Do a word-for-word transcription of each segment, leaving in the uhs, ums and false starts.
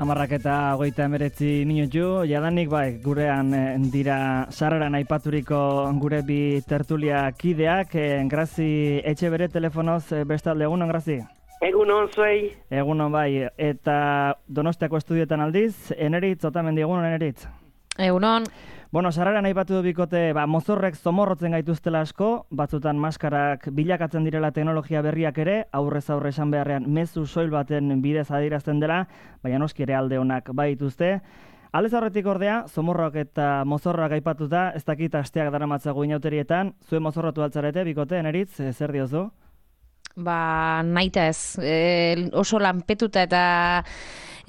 Amarrak eta hogeita emeretzi minutu, jadanik bai, gurean dira sarreran aipaturiko gure bi tertulia kideak, eh, Grazi etxe bere telefonoz bestalde, egunon Grazi? Egunon zuei. Egunon bai, eta Donostiako estudioetan aldiz, Eneritz, Otamendi, egunon Eneritz? Egunon. Bueno, sarreran aipatu du bikote, ba, mozorrek zomorrotzen gaituztela asko, batzutan maskarak bilakatzen direla teknologia berriak ere, aurrez aurre esan beharrean mezu soil baten bidez adierazten dela, baina noski ere alde honak baituzte. Aldez aurretik ordea, zomorroak eta mozorroak aipatuta, ez dakit asteak daramatzago inauterietan, zuen mozorrotu altzarete, bikote, Eneritz, zer diozu? Ba, naita ez, e, oso lanpetuta eta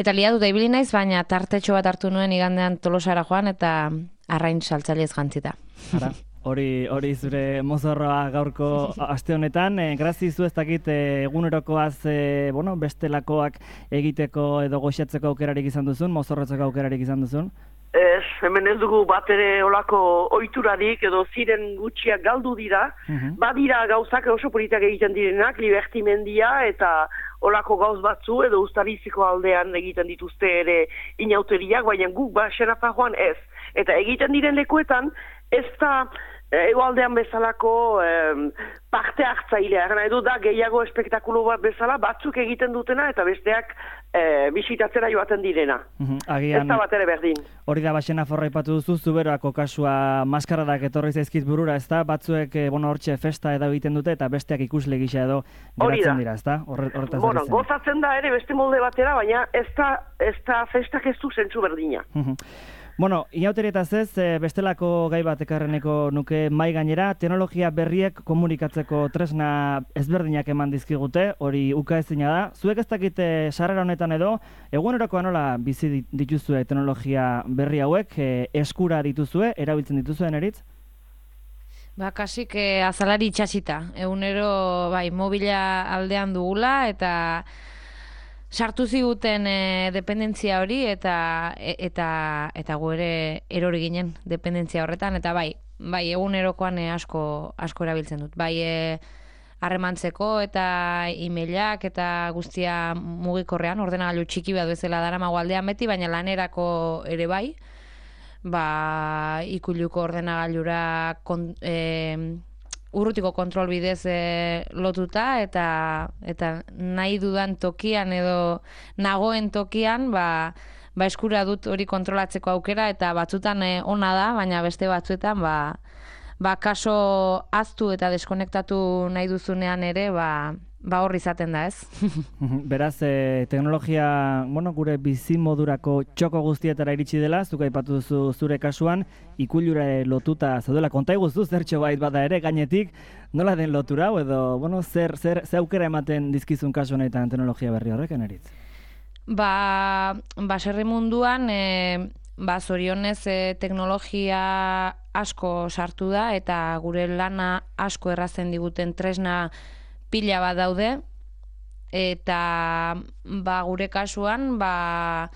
eta liatuta ibili naiz, baina tartetxo bat hartu nuen igandean Tolosara joan eta arrain saltzailez jantzita. Ara, hori hori zure mozorroa gaurko aste honetan, e, Grazi zu ez dakit e, egunerokoaz e, bueno, bestelakoak egiteko edo goxatzeko aukerarik izan duzun, mozorrotzeko aukerarik izan duzun? Ez, hemen ez dugu bat ere olako oiturarik edo ziren gutxiak galdu dira. Uh-huh. Badira gauzak oso politak egiten direnak, libertimendia eta olako gauz batzu edo Uztariziko aldean egiten dituzte ere inauteriak, baina guk ba Xenafarroan ez. Eta egiten diren lekuetan ez da egoaldean bezalako eh, parte hartzailea. Gana edo da gehiago espektakulo bat bezala batzuk egiten dutena eta besteak eh, bisitatzera joaten direna. Uh-huh. Agian, ez da bat ere berdin. Hori da Xenafarroa aipatu duzu, zuberoako kasua maskaradak etorri zaizkit burura, ez da? Batzuek, bueno, hortxe festa edo egiten dute eta besteak ikusle gisa edo geratzen dira, ez da? Horretaz bueno, gozatzen da ere beste molde batera, baina ez da, ez da festak ez du zentzu berdina. Uh-huh. Bueno, inauterietaz ez, bestelako gai bat ekarreneko nuke mai gainera, teknologia berriek komunikatzeko tresna ezberdinak eman dizkigute, hori ukaezina da. Zuek ez dakite sarrera honetan edo, egunerokoa nola bizi dituzue teknologia berri hauek, eskura dituzue, erabiltzen dituzue, Eneritz? Ba, kasik eh, azalari itxasita. Egunero, bai, mobila aldean dugula eta sartu ziguten e, dependentzia hori eta e, eta eta gu ere erori ginen dependentzia horretan eta bai, bai egunerokoan e, asko asko erabiltzen dut. Bai e, harremantzeko eta emailak eta guztia mugikorrean, ordenagailu txiki bat bezala daramago aldean beti, baina lanerako ere bai. Ba, ikuluko ordenagailura kon, e, urrutiko kontrol bidez e, lotuta eta eta nahi dudan tokian edo nagoen tokian ba, ba eskura dut hori kontrolatzeko aukera eta batzutan e, ona da, baina beste batzuetan ba, ba kaso aztu eta deskonektatu nahi duzunean ere ba, ba hor izaten da, ez? Beraz, e, teknologia, bueno, gure bizimodurako txoko guztietara iritsi dela, zuk aipatu duzu zure kasuan, ikulura lotuta zaudela, konta iguzu zertxo bait bada ere, gainetik, nola den lotura, edo, bueno, zer, zer, zer aukera ematen dizkizun kasu honetan teknologia berri horrek, Eneritz? Ba, baserri munduan, e, ba, zorionez e, teknologia asko sartu da, eta gure lana asko errazten diguten tresna pila bat daude, eta ba, gure kasuan ba,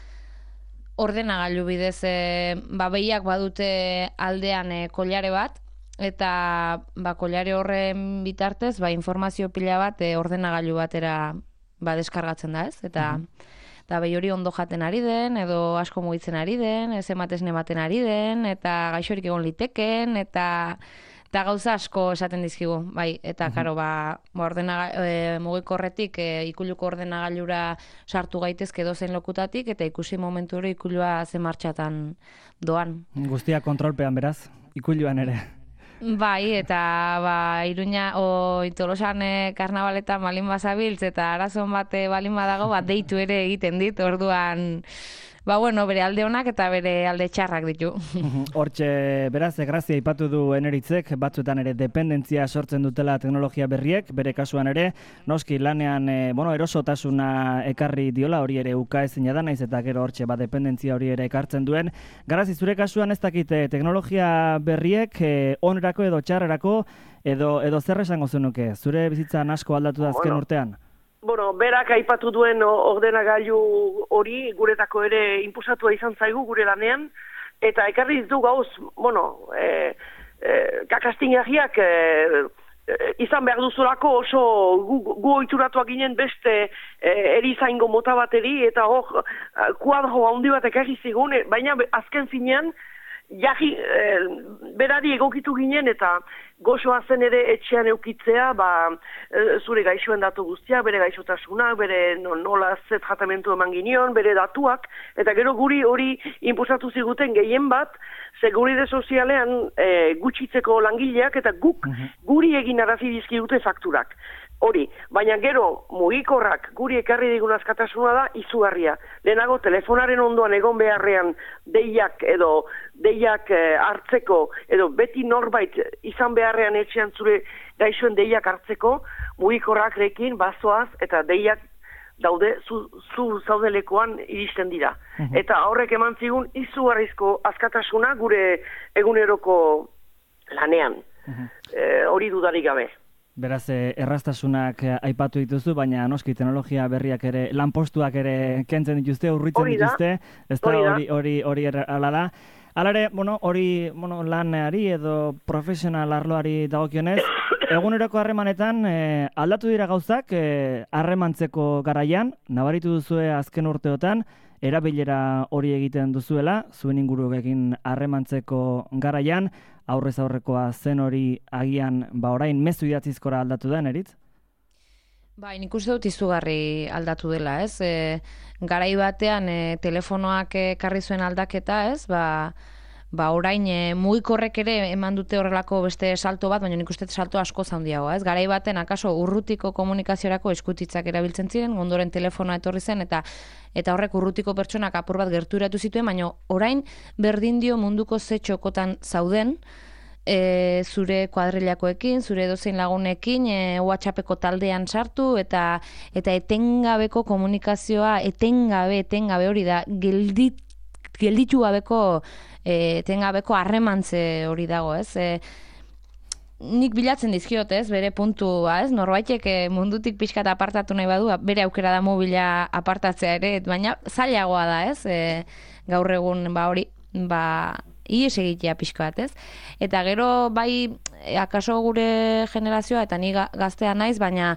ordenagailu bidez e, ba, behiak badute aldean e, kolare bat, eta ba, kolare horren bitartez ba, informazio pila bat e, ordenagailu batera ba, deskargatzen da, ez? Eta mm-hmm. Eta behi hori ondo jaten ari den, edo asko mugitzen ari den, ez ematesne ematen ari den, eta gaixorik egon liteken, eta eta gauza asko esaten dizkigu, bai, eta karo, ba, ordena, e, mugikorretik e, ikuluko ordenagailura sartu gaitezke dozen lokutatik, eta ikusi momentu hori ikulua ze martxatan doan. Guztia kontrolpean beraz, ikuluan ere. Bai, eta ba, Iruña, o Tolosan e, karnabaletan balin bazabiltz, eta arazon bat balin badago, bat deitu ere egiten dit, orduan ba, bueno, bere alde honak eta bere alde txarrak ditu. Hortxe, beraz, Grazia aipatu du Eneritzek, batzuetan ere dependentzia sortzen dutela teknologia berriek, bere kasuan ere, noski lanean, e, bueno, erosotasuna ekarri diola, hori ere ukaezina da, naiz eta gero hortxe, ba, dependentzia hori ere ekartzen duen. Garazi, zure kasuan ez dakite teknologia berriek, e, onerako edo txarrerako, edo, edo zer esango zenuke, zure bizitzan asko aldatu da azken bueno. urtean? Bueno, berak aipatu duen ordenagailu hori guretako ere inpusatua izan zaigu gure lanean, eta ekarri ditu gauz, bueno, e, e, kakastingarriak e, izan behar duzulako oso gu, gu oituratuak ginen beste e, erizaingo mota bateri, eta hor kuadro handi bat ekarri zigun, baina azken finean, jarri, e, berari egokitu ginen, eta gozoa zen ere etxean eukitzea, ba, e, zure gaixoen datu guztia, bere gaixotasunak, bere no, nola ze tratamentu eman ginion, bere datuak, eta gero guri hori inpusatu ziguten gehien bat, seguride sozialean e, gutxitzeko langileak eta guk guri egin arazi dizkigute fakturak. Hori, baina gero mugikorrak guri ekarri digun askatasuna da izugarria. Lehenago telefonaren ondoan egon beharrean deiak edo deiak e, hartzeko edo beti norbait izan beharrean etxean zure gaixoen deiak hartzeko mugikorrak rekin bazoaz eta deiak daude zu, zu zaudelekoan iristen dira. Uh-huh. Eta horrek eman zigun izugarrizko askatasuna gure eguneroko lanean. Uh-huh. E, hori dudarik gabe. Beraz, erraztasunak aipatu dituzu, baina noski teknologia berriak ere, lanpostuak ere kentzen dituzte, urritzen dituzte, ez da hori hori hori ala da. Hala ere, bueno, hori bueno, lanari edo profesional arloari dagokionez, eguneroko harremanetan eh, aldatu dira gauzak harremantzeko eh, garaian, nabaritu duzue azken urteotan, erabilera hori egiten duzuela, zuen inguruekin harremantzeko garaian, aurrez aurrekoa zen hori agian, ba orain mezu idatzizkora aldatu da, Neritz? Bai, nik uste dut izugarri aldatu dela, ez? E, garai batean e, telefonoak ekarri zuen aldaketa, ez? Ba, ba orain e, mugikorrek ere eman dute horrelako beste salto bat, baina nik uste salto asko handiagoa, ez? Garai baten akaso urrutiko komunikaziorako eskutitzak erabiltzen ziren, ondoren telefonoa etorri zen eta eta horrek urrutiko pertsonak apur bat gerturatu zituen, baina orain berdin dio munduko ze txokotan zauden, E, zure kuadrilakoekin, zure edozein lagunekin, e, WhatsAppeko taldean sartu eta eta etengabeko komunikazioa, etengabe, etengabe hori da, geldit, gelditu gabeko, e, etengabeko harremantze hori dago, ez? E, nik bilatzen dizkiot, ez, bere puntua, ez? Norbaitek mundutik pixkat apartatu nahi badu, bere aukera da mobila apartatzea ere, baina zailagoa da, ez? E, gaur egun, ba hori, ba ies egitea pixka bat, ez? Eta gero, bai, akaso gure generazioa, eta ni gaztea naiz, baina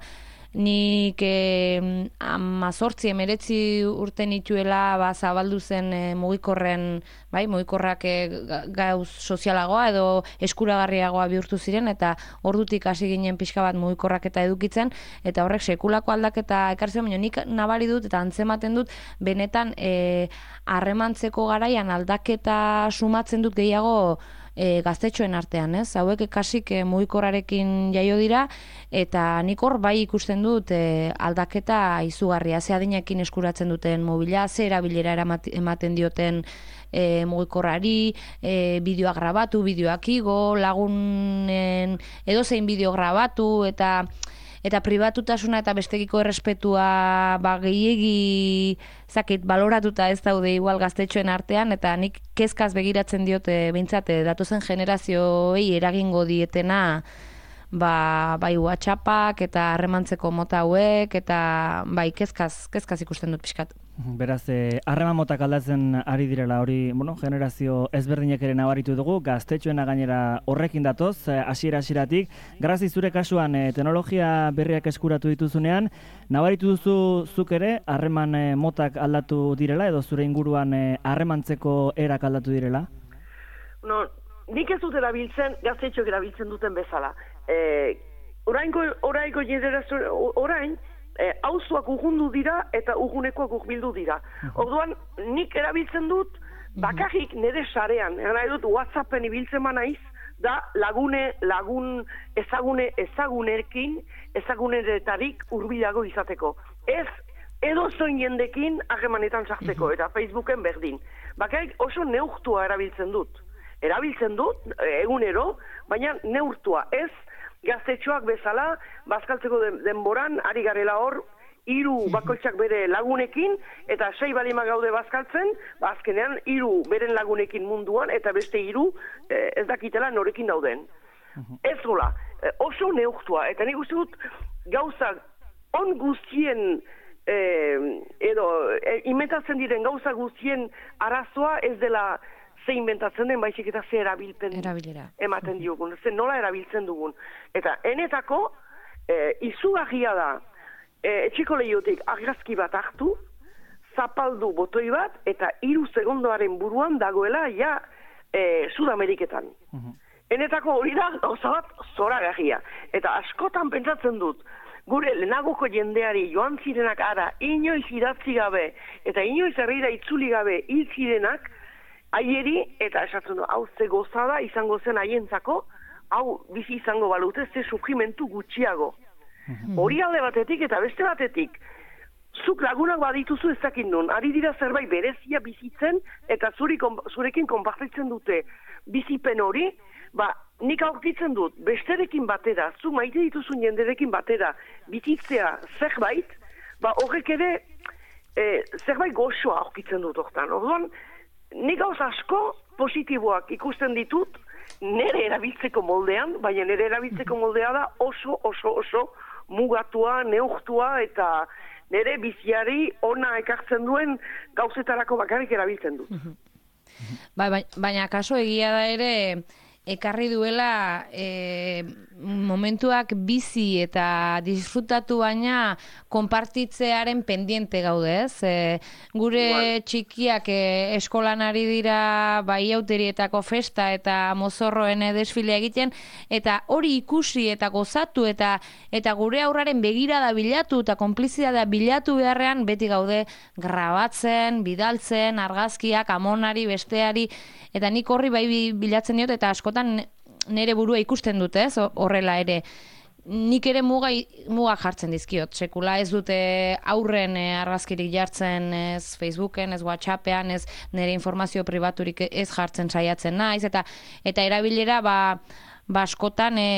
nik eh, amazortzi, emeretzi urte nituela ba, zabaldu zen eh, mugikorren, bai, mugikorrak eh, gauz sozialagoa edo eskuragarriagoa bihurtu ziren, eta ordutik hasi ginen pixka bat mugikorrak eta edukitzen, eta horrek sekulako aldaketa ekartzen, baina nik nabari dut eta antzematen dut, benetan harremantzeko eh, garaian aldaketa sumatzen dut gehiago E, gaztetxoen artean, ez? Hauek kasik e, mugikorrarekin jaio dira, eta nik hor bai ikusten dut e, aldaketa izugarria, ze adinekin eskuratzen duten mobila, ze erabilera ematen dioten e, mugikorrari, e, bideoak grabatu, bideoak igo, lagunen edozein bideo grabatu, eta eta pribatutasuna eta bestekiko errespetua ba, gehiegi zakit, baloratuta ez daude igual gaztetxoen artean, eta nik kezkaz begiratzen diote behintzat datozen generazioei eragingo dietena ba, bai WhatsAppak eta harremantzeko mota hauek, eta bai kezkaz, kezkaz ikusten dut pixkat. Beraz, harreman eh, motak aldatzen ari direla hori, bueno, generazio ezberdinek ere nabaritu dugu, gaztetxoena gainera horrekin datoz, hasiera hasieratik. Grazi zure kasuan eh, teknologia berriak eskuratu dituzunean, nabaritu duzu zuk ere harreman eh, motak aldatu direla edo zure inguruan harremantzeko eh, erak aldatu direla? No, nik ez dut erabiltzen, gaztetxoak erabiltzen duten bezala. Eh, orainko, orainko generazio, orain, E, auzoak urrundu dira eta urgunekoak urbildu dira. Orduan, nik erabiltzen dut, bakarrik nire sarean, nahi dut WhatsAppen ibiltzen naiz, da lagune, lagun, ezagune, ezagunerekin, ezaguneretarik urbilago izateko. Ez, edo zoin jendekin harremanetan sartzeko, eta Facebooken berdin. Bakarrik oso neurtua erabiltzen dut. Erabiltzen dut, egunero, baina neurtua ez, gaztetxoak bezala, bazkaltzeko denboran, ari garela hor, hiru bakoitzak bere lagunekin, eta sei balima gaude bazkaltzen, azkenean hiru beren lagunekin munduan, eta beste hiru eh, ez dakitela norekin dauden. Ez gola, eh, oso neurtua, eta nik uste dut gauza on guztien, eh, edo, eh, imetatzen diren gauza guztien arazoa ez dela ze inventatzen den, baizik eta ze erabilpen Erabilera. ematen diogun, ze nola erabiltzen dugun. Eta enetako, e, izugarria da, e, etxeko lehiotik argazki bat hartu, zapaldu botoi bat, eta hiru segundoaren buruan dagoela ja e, Sudameriketan. Enetako hori da, gauza bat, zoragarria. Eta askotan pentsatzen dut, gure lehenagoko jendeari joan zirenak ara, inoiz idatzi gabe, eta inoiz herrira itzuli gabe hil zirenak, haieri, eta esatzen du, hau ze gozada izango zen haientzako, hau bizi izango balute, ze sufrimentu gutxiago. Hori alde batetik eta beste batetik, zuk lagunak badituzu ez dakit nun, ari dira zerbait berezia bizitzen, eta zuri, zurekin konpartitzen dute bizipen hori, ba, nik aurkitzen dut, besterekin batera, zu maite dituzun jenderekin batera, bizitzea zerbait, ba, horrek ere, e, zerbait goxoa aurkitzen dut hortan. Orduan, nik gauz asko positiboak ikusten ditut, nire erabiltzeko moldean, baina nire erabiltzeko moldea da oso, oso, oso mugatua, neurtua, eta nire biziari ona ekartzen duen gauzetarako bakarrik erabiltzen dut. Ba, baina kaso egia da ere, ekarri duela e, momentuak bizi eta disfrutatu baina konpartitzearen pendiente gaude, ez? E, gure igual. Txikiak e, eskolan ari dira bai auterietako festa eta mozorroen desfilea egiten, eta hori ikusi eta gozatu eta eta gure aurraren begirada bilatu eta konplizidadea bilatu beharrean beti gaude grabatzen, bidaltzen, argazkiak, amonari, besteari, eta nik horri bai bilatzen diot eta askotan nire burua ikusten dute, ez, horrela ere. Nik ere muga, muga jartzen dizkiot, sekula ez dute aurren e, argazkirik jartzen ez Facebooken, ez WhatsAppean, ez nire informazio pribaturik ez jartzen saiatzen naiz, eta eta erabilera ba, ba askotan e,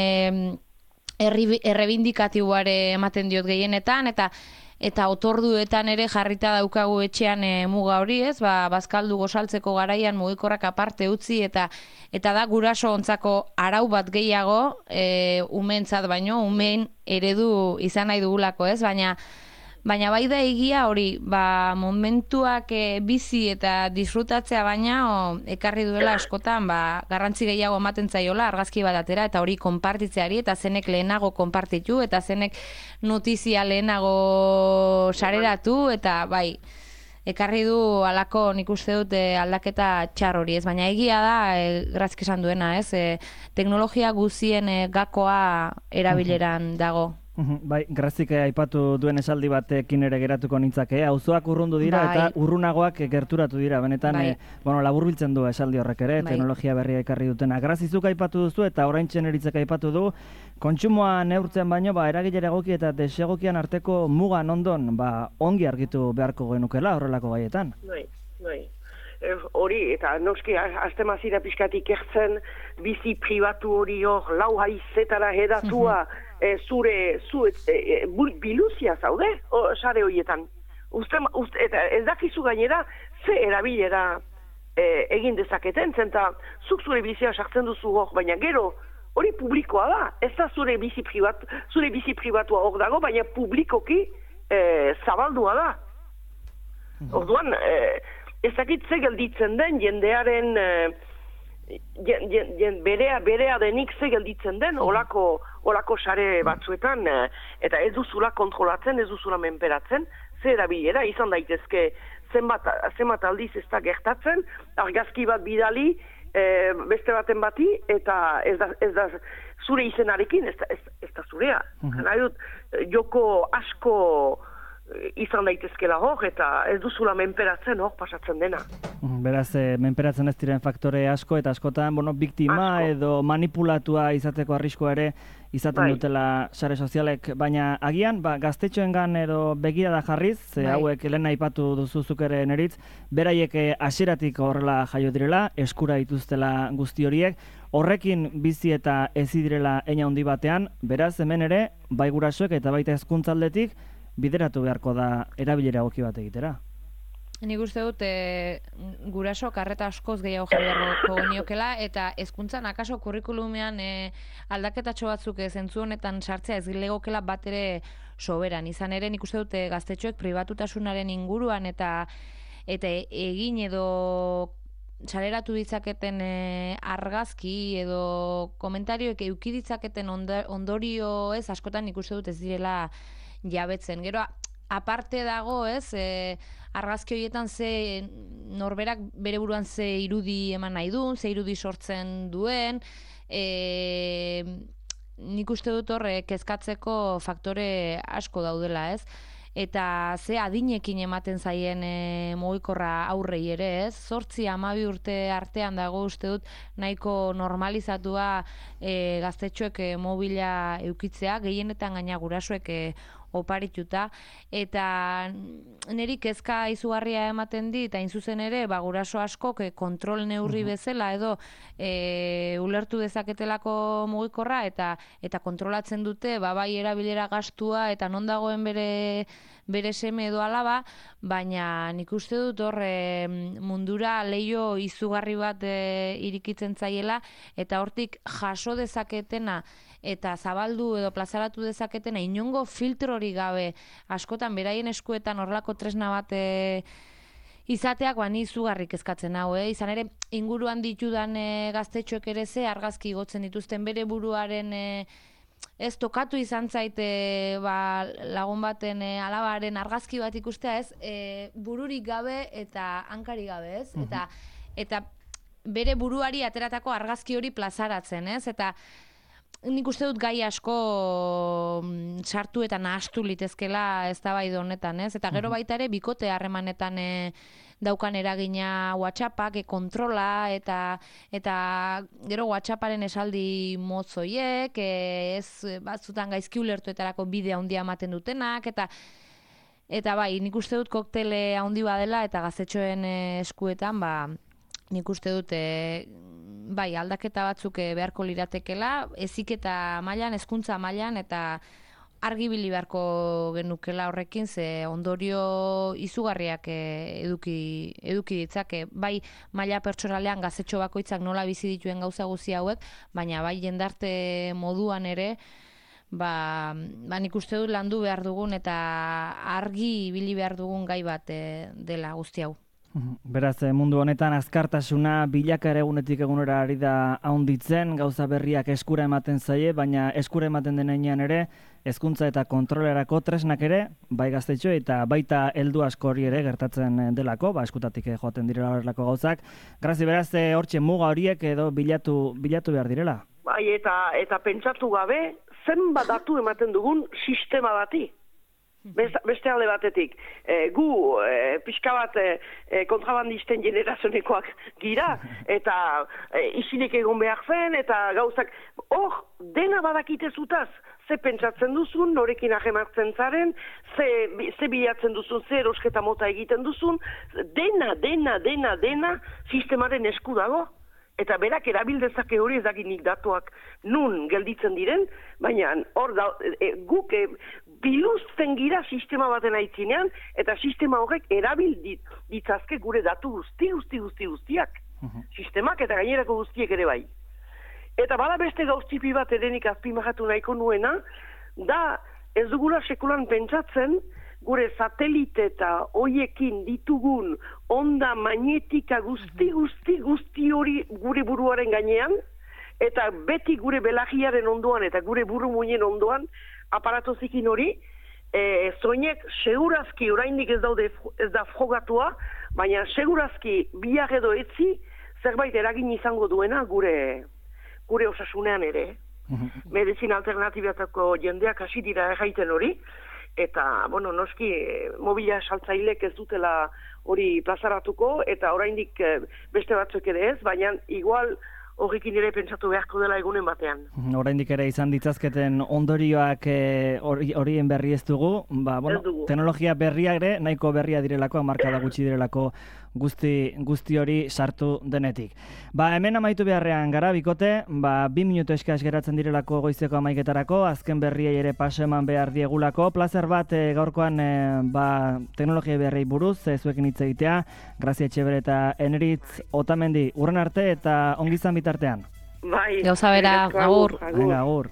errebindikatiboare ematen diot gehienetan, eta eta otorduetan ere jarrita daukagu etxean e, muga hori, ez? Ba, bazkaldu gozaltzeko garaian mugikorrak aparte utzi, eta eta da guraso ontzako arau bat gehiago, e, umeentzat baino, umeen eredu izan nahi dugulako, ez? Baina Baina bai da egia hori, ba, momentuak e, bizi eta disfrutatzea baina o, ekarri duela askotan, ba, garrantzi gehiago ematen zaiola argazki bat atera, eta hori konpartitzeari, eta zenek lehenago konpartitu, eta zenek notizia lehenago sareratu, eta bai, ekarri du alako nik uste dut e, aldaketa txar hori, ez? Baina egia da, e, grazk esan duena, ez? E, teknologia guzien e, gakoa erabileran dago. Bai, Grazik aipatu duen esaldi batekin ere geratuko nintzake, auzoak urrundu dira bai. Eta urrunagoak gerturatu dira, benetan bai. e, bueno, laburbiltzen du esaldi horrek ere, bai. Teknologia berria ekarri dutena. Grazizuk aipatu duzu eta oraintxe Neritzek aipatu du, kontsumoa neurtzen baino, ba, eragilera egoki eta desegokian arteko mugan ondon, ba, ongi argitu beharko genukela horrelako gaietan. Bai, bai. Hori, eta noski, azte mazira pixkatik ertzen, bizi pribatu hori hor, lau haizetara hedatua, E, zure, zu, e, e, biluzia zaude, o, sare horietan. Uste, uste, eta ez dakizu gainera, ze erabilera e, egin dezaketen, zenta zuk zure bizia sartzen duzu hor, baina gero, hori publikoa da. Ez da zure bizi pribatu, zure bizi pribatua hor dago, baina publikoki e, zabaldua da. Orduan, e, ez dakit ze gelditzen den jendearen... E, Jen, jen, jen, berea, berea denik ze gelditzen den, olako, olako sare batzuetan, eta ez duzula kontrolatzen, ez duzula menperatzen, ze erabilera, izan daitezke zenbat, zenbat aldiz ez da gertatzen, argazki bat bidali, e, beste baten bati, eta ez da, ez da zure izenarekin, ez da, ez, ez da zurea. Mm-hmm. Joko asko izan daitezkela hor, eta ez duzula menperatzen hor pasatzen dena. Beraz, e, menperatzen ez diren faktore asko, eta askotan, bueno, biktima asko. Edo manipulatua izateko arriskoa ere izaten bai. Dutela sare sozialek, baina agian, ba, gaztetxoengan edo begirada jarriz, ze bai. Hauek lehen aipatu duzuzuk ere Neritz, beraiek hasieratik horrela jaio direla, eskura dituztela guzti horiek, horrekin bizi eta ezi direla eina handi batean, beraz, hemen ere, bai gurasoek eta baita hezkuntzaldetik, bideratu beharko da erabilera egoki bat egitera. Nik uste dut e, guraso karreta askoz gehiago jarri beharko geniokela, eta hezkuntzan akaso kurrikulumean e, aldaketatxo batzuk zentzu honetan sartzea ez legokela bat ere soberan. Izan ere nik uste dut e, gaztetxoek pribatutasunaren inguruan eta eta egin edo saleratu ditzaketen e, argazki edo komentarioek euki ditzaketen ondorio ez, askotan ikuste dut ez direla jabetzen. Gero, aparte dago, ez, e, argazki horietan ze norberak bere buruan ze irudi eman nahi duen, ze irudi sortzen duen, e, nik uste dut horre kezkatzeko faktore asko daudela, ez? Eta ze adinekin ematen zaien e, mugikorra aurrei ere, ez? Zortzi hamabi urte artean dago uste dut nahiko normalizatua e, gaztetxoek e, mobila eukitzea, gehienetan gaina gurasoek e, oparituta, eta niri kezka izugarria ematen dit, eta zuzen ere, ba, guraso askok e, kontrol neurri bezala edo e, ulertu dezaketelako mugikorra, eta eta kontrolatzen dute, ba, bai erabilera gastua, eta non dagoen bere bere seme edo alaba, baina nik uste dut hor e, mundura leio izugarri bat e, irikitzen zaiela, eta hortik jaso dezaketena eta zabaldu edo plazaratu dezaketena inongo filtrori gabe askotan beraien eskuetan horrelako tresna bat e, izateak ba ni izugarrik kezkatzen hau, eh? Izan ere inguruan ditudan e, gaztetxoek ere ze argazki igotzen dituzten bere buruaren e, ez tokatu izan zaite ba, lagun baten e, alabaren argazki bat ikustea, ez, e, bururik gabe eta hankari gabe, ez? Uh-huh. Eta eta bere buruari ateratako argazki hori plazaratzen, ez? Eta nik uste dut gai asko sartu eta nahastu litezkela eztabaida honetan, ez? Eta gero baita ere bikote harremanetan e, daukan eragina WhatsAppak, e, kontrola, eta eta gero WhatsApparen esaldi motzoiek, e, ez batzutan gaizki ulertuetarako bidea handia ematen dutenak, eta eta bai, nik uste dut koktele handi badela, eta gaztetxoen e, eskuetan, ba, nik uste dut e, bai, aldaketa batzuk beharko liratekela, heziketa mailan, hezkuntza mailan, eta argibili beharko genukela horrekin, ze ondorio izugarriak eduki, eduki ditzake. Bai, maila pertsonalean gaztetxo bakoitzak nola bizi dituen gauza guzti hauek, baina bai jendarte moduan ere, ba, ba nik uste dut landu behar dugun eta argi ibili behar dugun gai bat e, dela guzti hau. Beraz, mundu honetan azkartasuna bilaka ere egunetik egunera ari da haunditzen, gauza berriak eskura ematen zaie, baina eskura ematen denean ere, hezkuntza eta kontrolerako tresnak ere, bai gaztetxo eta baita heldu asko hori ere gertatzen delako, ba eskutatik joaten direla horrelako gauzak. Grazi, beraz, hortxe muga horiek edo bilatu, bilatu behar direla? Bai, eta, eta pentsatu gabe, zenbat datu ematen dugun sistema bati. Beste alde batetik, e, gu e, pixka bat e, kontrabandisten generazionekoak gira, eta e, isilik egon behar zen, eta gauzak, hor, dena badakite zutaz, ze pentsatzen duzun, norekin ahemartzen zaren, ze, ze bilatzen duzun, ze erosketa mota egiten duzun, dena, dena, dena, dena, sistemaren esku dago. Eta berak erabildezake hori ez dakinik datuak nun gelditzen diren, baina hor da, e, guk e, biluzten gira sistema baten aitzinean, eta sistema horrek erabil ditzazke gure datu guzti, guzti, guzti, guztiak. Uh-huh. Sistemak eta gainerako guztiek ere bai. Eta bada beste gauztipi bat edenik azpimahatu nahiko nuena, da ez dugula sekulan pentsatzen, gure satelite eta hoiekin ditugun onda magnetika guzti, guzti, guzti hori gure buruaren gainean, eta beti gure belagiaren ondoan eta gure buru muinen ondoan aparatozikin hori, e, zoinek segurazki oraindik ez daude ez da frogatua, baina segurazki biak edo etzi zerbait eragin izango duena gure, gure osasunean ere. Medizin alternatibatako jendeak hasi dira erraiten hori, eta, bueno, noski, mobila saltzailek ez dutela hori plazaratuko, eta oraindik beste batzuk ere ez, baina igual horrekin ere pentsatu beharko dela egunen batean. Oraindik ere izan ditzazketen ondorioak horien e, berri ez dugu, ba, bueno, dugu. Teknologia berriak ere, nahiko berria direlako, markada gutxi direlako guzti, guzti hori sartu denetik. Ba, hemen amaitu beharrean gara, bikote, ba, bi minutu eskas geratzen direlako goizeko amaiketarako, azken berriei ere paso eman behar diegulako, plazer bat e, gaurkoan e, ba, teknologia berriei buruz, e, zuekin hitz egitea, Grazia Etxeber eta Eneritz Otamendi, urren arte eta ongizan bitartean. Bai. Gauza bera, agur. Agur.